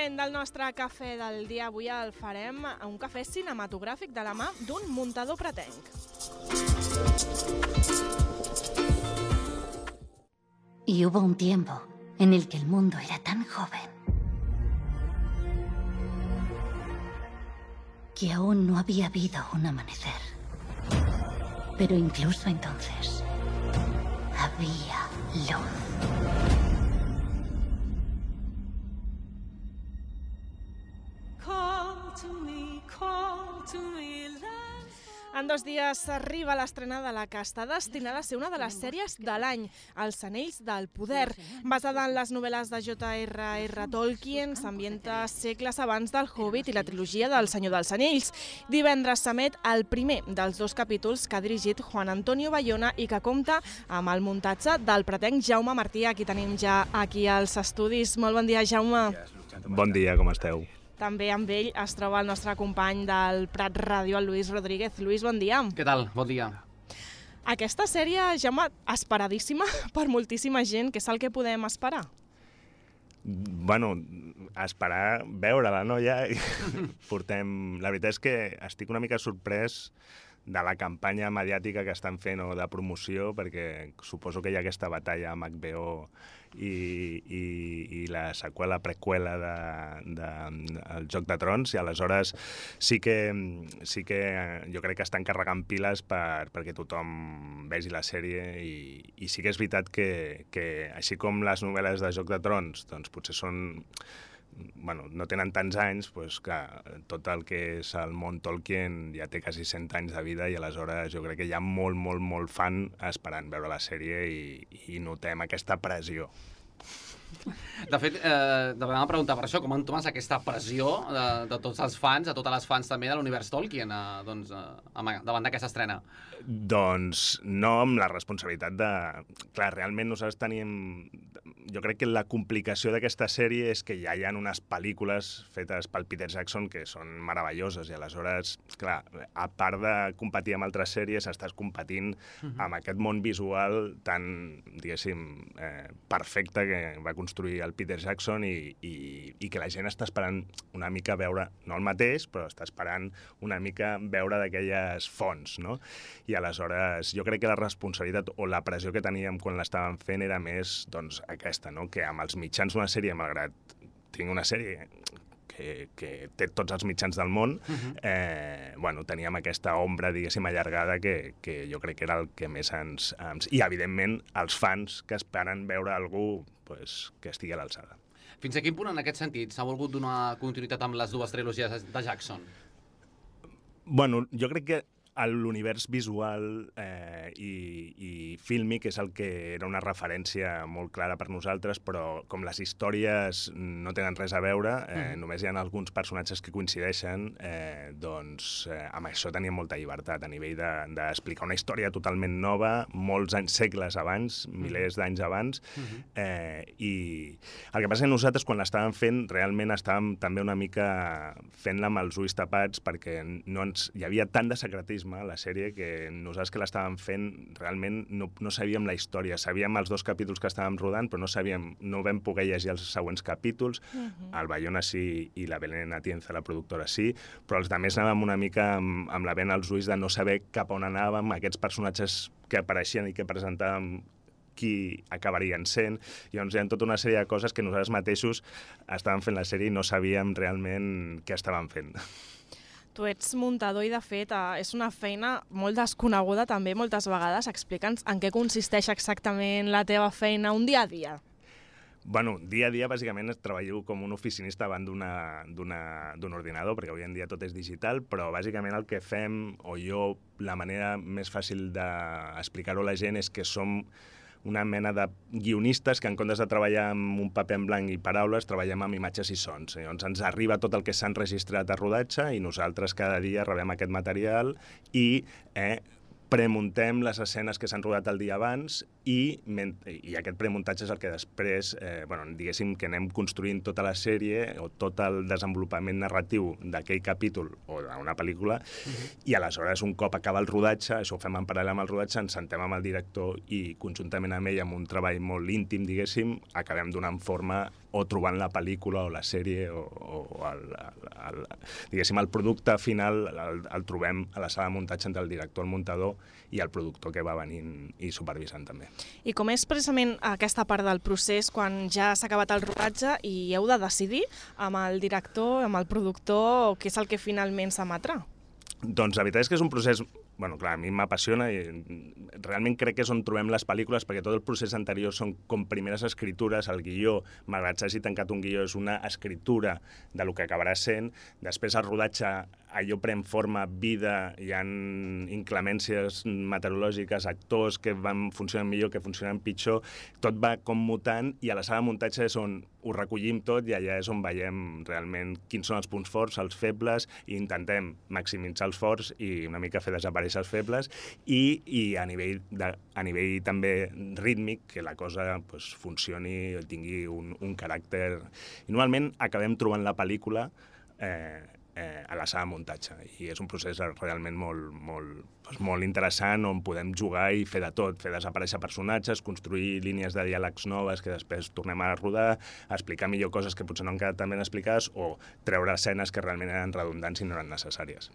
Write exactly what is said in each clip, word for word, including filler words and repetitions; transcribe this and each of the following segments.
moment del nostre cafè del dia. Avui el farem un cafè cinematogràfic de la mà d'un muntador pretenc. Y hubo un tiempo en el que el mundo era tan joven que aún no había habido un amanecer. Pero incluso entonces había luz. En dos dies arriba l'estrena de la que està destinada a ser una de les sèries de l'any, Els Anells del Poder. Basada en les novel·les de J R R Tolkien, s'ambienta segles abans del Hobbit i la trilogia del Senyor dels Anells. Divendres s'emet el primer dels dos capítols que ha dirigit Juan Antonio Bayona i que compta amb el muntatge del pretenc Jaume Martí. Aquí tenim ja aquí als estudis. Molt bon dia, Jaume. Bon dia, com esteu? També amb ell es troba el nostre company del Prat Ràdio, el Lluís Rodríguez. Lluís, bon dia. Què tal? Bon dia. Aquesta sèrie, Jaume, esperadíssima per moltíssima gent. Què és el que podem esperar? Bueno, esperar veure-la, no? Ja portem... La veritat és que estic una mica sorprès de la campanya mediàtica que estan fent o de promoció, perquè suposo que hi ha aquesta batalla amb H B O i, i, i la seqüela, preqüela de, de, el Joc de Trons, i aleshores sí que, sí que jo crec que estan carregant piles per, perquè tothom vegi la sèrie, i, i sí que és veritat que, que així com les novel·les de Joc de Trons doncs potser són... Bueno, no tenen tants anys, doncs, clar, tot el que és el món Tolkien ja té quasi cent anys de vida, i aleshores jo crec que hi ha molt, molt, molt fan esperant veure la sèrie, i, i notem aquesta pressió. De fet, eh, de vegades preguntar per això, com entomes aquesta pressió de, de tots els fans, de totes les fans també de l'univers Tolkien, eh, doncs, eh, davant d'aquesta estrena? Doncs no, amb la responsabilitat de... Clar, realment nosaltres tenim... Jo crec que la complicació d'aquesta sèrie és que ja hi ha unes pel·lícules fetes pel Peter Jackson que són meravelloses, i aleshores, clar, a part de competir amb altres sèries, estàs competint uh-huh. amb aquest món visual tan, diguéssim, eh, perfecte que va construir el Peter Jackson, i, i, i que la gent està esperant una mica veure, no el mateix, però està esperant una mica veure d'aquelles fonts, no? I aleshores jo crec que la responsabilitat o la pressió que teníem quan l'estàvem fent era més, doncs, aquesta, no? Que amb els mitjans d'una sèrie, malgrat tinc una sèrie que, que té tots els mitjans del món, uh-huh. eh, bueno, teníem aquesta ombra, diguéssim, allargada que, que jo crec que era el que més ens... ens... I, evidentment, els fans que esperen veure algú pues, que estigui a l'alçada. Fins a quin punt, en aquest sentit, s'ha volgut donar continuïtat amb les dues trilogies de Jackson? Bueno, jo crec que l'univers visual eh, i, i fílmic és el que era una referència molt clara per nosaltres, però com les històries no tenen res a veure, eh, mm. només hi ha alguns personatges que coincideixen, eh, doncs eh, amb això teníem molta llibertat a nivell d'explicar de, una història totalment nova, molts anys, segles abans, mm. milers d'anys abans, mm-hmm. eh, i el que passa és que nosaltres quan l'estàvem fent realment estàvem també una mica fent-la amb els ulls tapats, perquè no ens, hi havia tant de secretisme a la sèrie que nosaltres que l'estàvem fent realment no, no sabíem la història. Sabíem els dos capítols que estàvem rodant, però no sabíem, no vam poder llegir els següents capítols. Uh-huh. El Bayona sí i la Belén Atienza, la productora, sí, però els altres anàvem una mica amb, amb la vena als ulls de no saber cap on anàvem, aquests personatges que apareixien i que presentàvem qui acabarien sent. I llavors hi ha tota una sèrie de coses que nosaltres mateixos estàvem fent la sèrie i no sabíem realment què estàvem fent. Tu ets muntador i, de fet, és una feina molt desconeguda també moltes vegades. Explica'ns en què consisteix exactament la teva feina un dia a dia. Bueno, dia a dia, bàsicament, treballo com un oficinista davant d'un ordinador, perquè avui en dia tot és digital, però bàsicament el que fem, o jo, la manera més fàcil d'explicar-ho a la gent és que som una mena de guionistes que en comptes de treballar amb un paper en blanc i paraules, treballem amb imatges i sons. Llavors ens arriba tot el que s'ha enregistrat a rodatge i nosaltres cada dia rebem aquest material i eh, premuntem les escenes que s'han rodat el dia abans i, i aquest premuntatge és el que després, eh, bueno, diguéssim que anem construint tota la sèrie o tot el desenvolupament narratiu d'aquell capítol o d'una pel·lícula, uh-huh. i aleshores un cop acaba el rodatge, això ho fem en paral·lel amb el rodatge, ens sentem amb el director i conjuntament amb ell, amb un treball molt íntim, diguéssim, acabem donant forma o trobant la pel·lícula o la sèrie o, o el, el, el, diguéssim, el producte final el, el trobem a la sala de muntatge entre el director, el muntador i el productor que va venint i supervisant també. I com és precisament aquesta part del procés quan ja s'ha acabat el rodatge i heu de decidir amb el director, amb el productor, què és el que finalment s'emetrà? Doncs la veritat és que és un procés, bueno, clar, a mi m'apassiona i realment crec que és on trobem les pel·lícules perquè tot el procés anterior són com primeres escritures, el guió, malgrat s'hagi tancat un guió, és una escritura de lo que acabarà sent, després el rodatge allò pren forma, vida, hi ha inclemències meteorològiques, actors que van funcionant millor, que funcionen pitjor, tot va com mutant i a la sala de muntatge és on ho recollim tot i allà és on veiem realment quins són els punts forts, els febles, i intentem maximitzar els forts i una mica fer desaparèixer els febles i, i a, nivell de, a nivell també rítmic que la cosa pues, funcioni, tingui un, un caràcter... I normalment acabem trobant la pel·lícula eh, eh, a la sala de muntatge i és un procés realment molt, molt, doncs molt interessant on podem jugar i fer de tot, fer desaparèixer personatges, construir línies de diàlegs noves que després tornem a rodar, explicar millor coses que potser no han quedat tan ben explicades o treure escenes que realment eren redundants i no eren necessàries.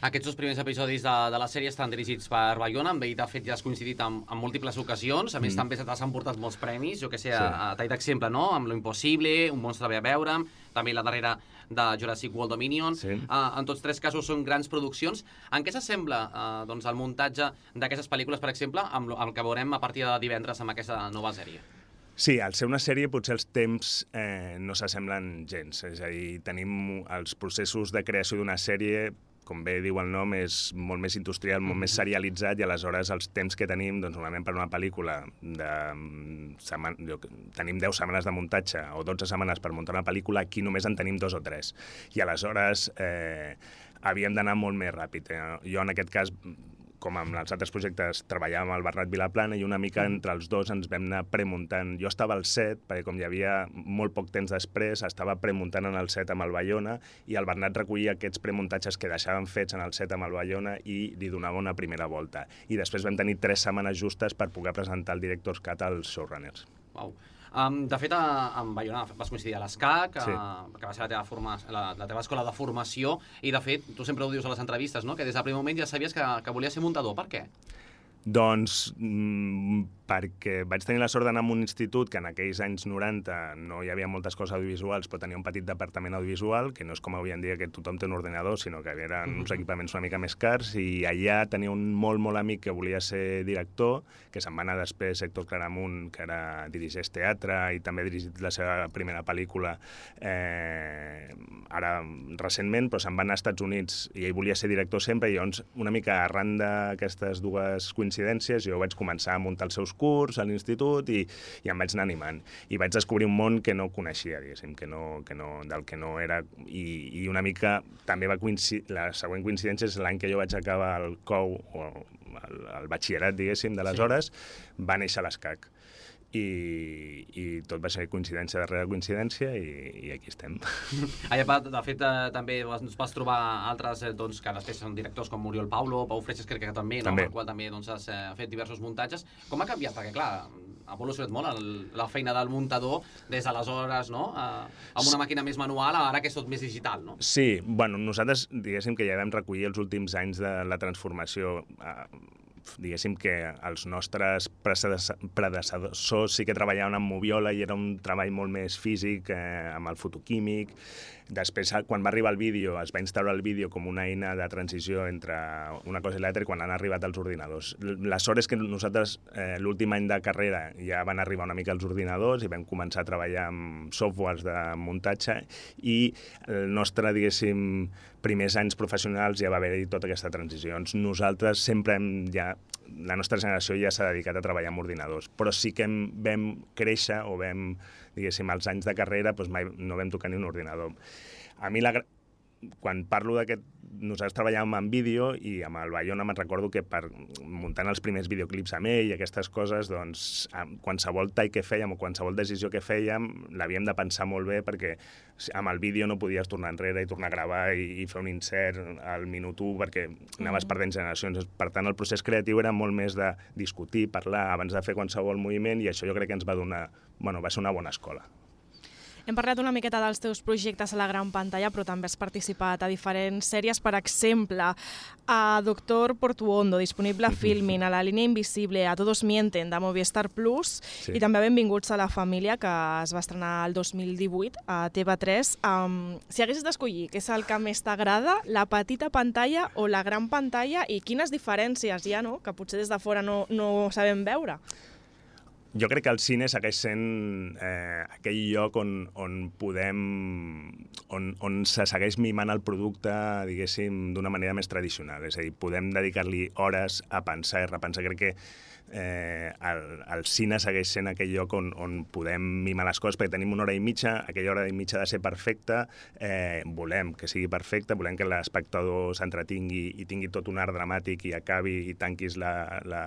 Aquests dos primers episodis de, de la sèrie estan dirigits per Bayona, amb ell de fet ja has coincidit en, en múltiples ocasions, a més mm. també se t'han portat molts premis, jo que sé, sí. a, a tall d'exemple, no? Amb Lo Impossible, Un monstre ve a veure'm, també la darrera de Jurassic World Dominion, sí. uh, en tots tres casos són grans produccions. En què s'assembla uh, doncs, el muntatge d'aquestes pel·lícules, per exemple, amb el que veurem a partir de divendres amb aquesta nova sèrie? Sí, al ser una sèrie potser els temps eh, no s'assemblen gens, és a dir, tenim els processos de creació d'una sèrie, com bé diu el nom, és molt més industrial, molt més serialitzat i aleshores els temps que tenim, doncs normalment per una pel·lícula de setmana, tenim deu setmanes de muntatge o dotze setmanes per muntar una pel·lícula, aquí només en tenim dos o tres. I aleshores eh, havíem d'anar molt més ràpid. Eh? Jo en aquest cas, com amb els altres projectes, treballàvem amb el Bernat Vilaplana i una mica entre els dos ens vam anar premuntant. Jo estava al set, perquè com hi havia molt poc temps després, estava premuntant en el set amb el Bayona i el Bernat recollia aquests premuntatges que deixàvem fets en el set amb el Bayona i li donava una primera volta. I després vam tenir tres setmanes justes per poder presentar el Director's Cut als showrunners. Uau. Um, de fet, a, amb Bayona vas coincidir a l'ESCAC, sí. que va ser la teva, forma, la, la teva escola de formació, i de fet, tu sempre ho dius a les entrevistes, no? Que des del primer moment ja sabies que, que volies ser muntador. Per què? Doncs mm, perquè vaig tenir la sort d'anar a un institut que en aquells anys noranta no hi havia moltes coses audiovisuals, però tenia un petit departament audiovisual, que no és com avui en dia que tothom té un ordinador, sinó que eren uns equipaments una mica més cars, i allà tenia un molt, molt amic que volia ser director, que se'n va anar després Héctor Claramunt, que era dirigeix teatre i també ha dirigit la seva primera pel·lícula eh, ara recentment, però se'n va anar als Estats Units i ell volia ser director sempre, i llavors una mica arran d'aquestes dues coincidències jo vaig començar a muntar els seus curs a l'institut i, i em vaig anar animant. I vaig descobrir un món que no coneixia, diguéssim, que no, que no, del que no era... I, i una mica també va coincidir... La següent coincidència és l'any que jo vaig acabar el C O U, o el, el batxillerat, diguéssim, d'aleshores, sí. Va néixer l'ESCAC. I, i tot va ser coincidència darrere coincidència i, i aquí estem. Allà, de fet, eh, també ens vas trobar altres eh, doncs, que després són directors com Oriol Paulo, Pau Freixas, crec que també, no? també. Amb el qual també doncs, has eh, fet diversos muntatges. Com ha canviat? Perquè, clar, ha evolucionat molt el, la feina del muntador des d'aleshores, no? Eh, amb una màquina més manual, ara que és tot més digital, no? Sí, bueno, nosaltres, diguéssim que ja vam recollir els últims anys de la transformació. Eh, diguéssim que els nostres predecessors sí que treballaven amb moviola i era un treball molt més físic, eh, amb el fotoquímic. Després, quan va arribar el vídeo, es va instaurar el vídeo com una eina de transició entre una cosa i l'altra quan han arribat els ordinadors. La sort és que nosaltres, eh, l'últim any de carrera, ja van arribar una mica els ordinadors i vam començar a treballar amb softwares de muntatge i el nostre, diguéssim, primers anys professionals ja va haver-hi tota aquesta transició. Nosaltres sempre hem ja... La nostra generació ja s'ha dedicat a treballar amb ordinadors, però sí que hem, vam créixer o vam, diguéssim, als anys de carrera doncs mai no vam tocar ni un ordinador. A mi la, quan parlo d'aquest... Nosaltres treballàvem en vídeo i amb el Bayona me'n recordo que per muntant els primers videoclips amb ell i aquestes coses, doncs, qualsevol tall que fèiem o qualsevol decisió que fèiem l'havíem de pensar molt bé perquè amb el vídeo no podies tornar enrere i tornar a gravar i, i fer un insert al minut u perquè anaves perdent generacions. Per tant, el procés creatiu era molt més de discutir, parlar abans de fer qualsevol moviment i això jo crec que ens va donar... Bueno, va ser una bona escola. Hem parlat una miqueta dels teus projectes a la gran pantalla, però també has participat a diferents sèries, per exemple, a Doctor Portuondo, disponible a Filmin, a La línia invisible, a Todos mienten, de Movistar Plus, sí. I també a Benvinguts a la família, que es va estrenar el dos mil divuit a T V tres. Um, si haguessis d'escollir què és el que més t'agrada, la petita pantalla o la gran pantalla, i quines diferències hi ha, no?, que potser des de fora no, no sabem veure? Jo crec que el cine segueix sent eh, aquell lloc on, on podem... On, on se segueix mimant el producte, diguéssim, d'una manera més tradicional. És a dir, podem dedicar-li hores a pensar i repensar. Crec que eh, el, el cine segueix sent aquell lloc on, on podem mimar les coses, perquè tenim una hora i mitja, aquella hora i mitja ha de ser perfecta, eh, volem que sigui perfecta, volem que l'espectador s'entretingui i tingui tot un art dramàtic i acabi i tanquis la... la...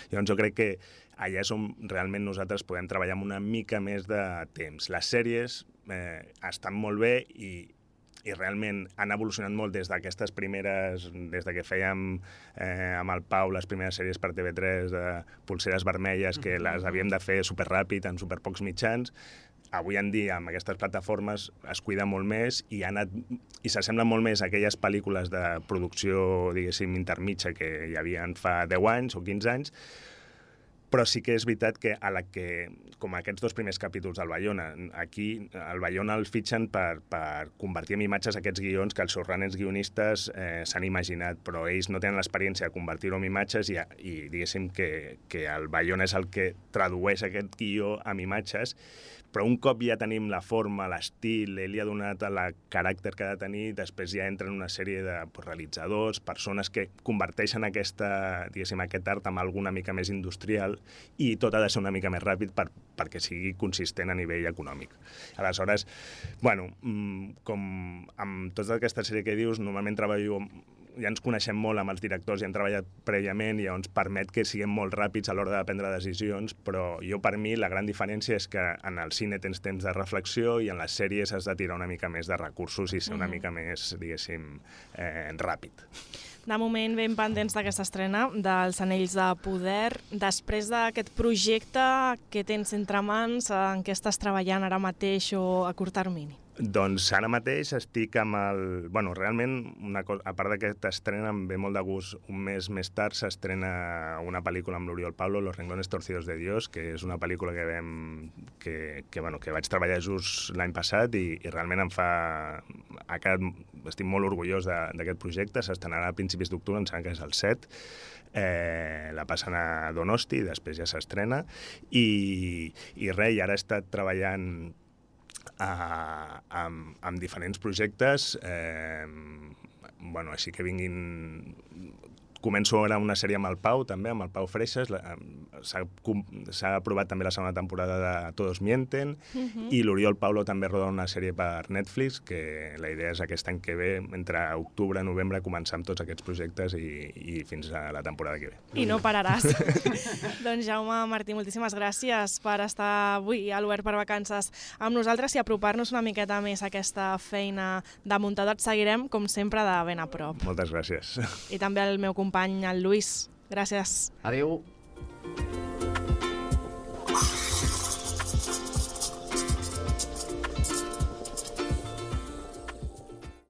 Llavors jo crec que allà és on realment nosaltres podem treballar amb una mica més de temps. Les sèries eh, estan molt bé i, i realment han evolucionat molt des d'aquestes primeres, des de que fèiem eh, amb el Pau les primeres sèries per T V tres de Polseres vermelles, que les havíem de fer superràpid, en superpocs mitjans. Avui en dia, amb aquestes plataformes, es cuida molt més i, ha anat, i s'assemblen molt més a aquelles pel·lícules de producció, diguéssim, intermitja que hi havia fa deu anys o quinze anys, però sí que és veritat que, a la que com aquests dos primers capítols del Bayona, aquí el Bayona el fitxen per, per convertir en imatges aquests guions que els showrunners guionistes eh, s'han imaginat, però ells no tenen l'experiència de convertir-ho en imatges i, i diguéssim que, que el Bayona és el que tradueix aquest guió en imatges, però un cop ja tenim la forma, l'estil, ell li ha donat el caràcter que ha de tenir, després ja entren una sèrie de pues, realitzadors, persones que converteixen aquesta, diguéssim, aquest art en alguna mica més industrial i tot ha de ser una mica més ràpid per, perquè sigui consistent a nivell econòmic. Aleshores, bueno, com amb tota aquesta sèrie que dius, normalment treballo... ja ens coneixem molt amb els directors i hem treballat prèviament i ens permet que siguem molt ràpids a l'hora de prendre decisions, però jo per mi la gran diferència és que en el cine tens temps de reflexió i en les sèries has de tirar una mica més de recursos i ser una mica més, diguéssim, eh, ràpid. De moment, ben pendents d'aquesta estrena dels Anells de Poder. Després d'aquest projecte, què tens entre mans? En què estàs treballant ara mateix o a curt termini? Doncs ara mateix estic amb el... Bueno, realment, una cosa, a part d'aquesta estrena, em ve molt de gust. Un mes més tard s'estrena una pel·lícula amb l'Oriol Pablo, Los renglones torcidos de Dios, que és una pel·lícula que vam... que, que, bueno, que vaig treballar just l'any passat i, i realment em fa... Ha quedat... Estic molt orgullós d'aquest projecte. S'estrenarà a principis d'octubre, em sembla que és el set. Eh, la passen a Donosti i després ja s'estrena. I, i res, i ara he estat treballant Uh, amb, amb diferents projectes, eh, bueno, així que vinguin... Començo ara una sèrie amb el Pau, també, amb el Pau Freixas. S'ha aprovat també la segona temporada de Todos mienten, uh-huh. I l'Oriol Paulo també roda una sèrie per Netflix, que la idea és aquest any que ve, entre octubre i novembre, començar amb tots aquests projectes i, i fins a la temporada que ve. I no pararàs. Doncs Jaume Martí, moltíssimes gràcies per estar avui a l'Obert per Vacances amb nosaltres i apropar-nos una miqueta més a aquesta feina de muntador. Et seguirem, com sempre, de ben a prop. Moltes gràcies. I també el meu company, el Lluís. Gràcies. Adéu.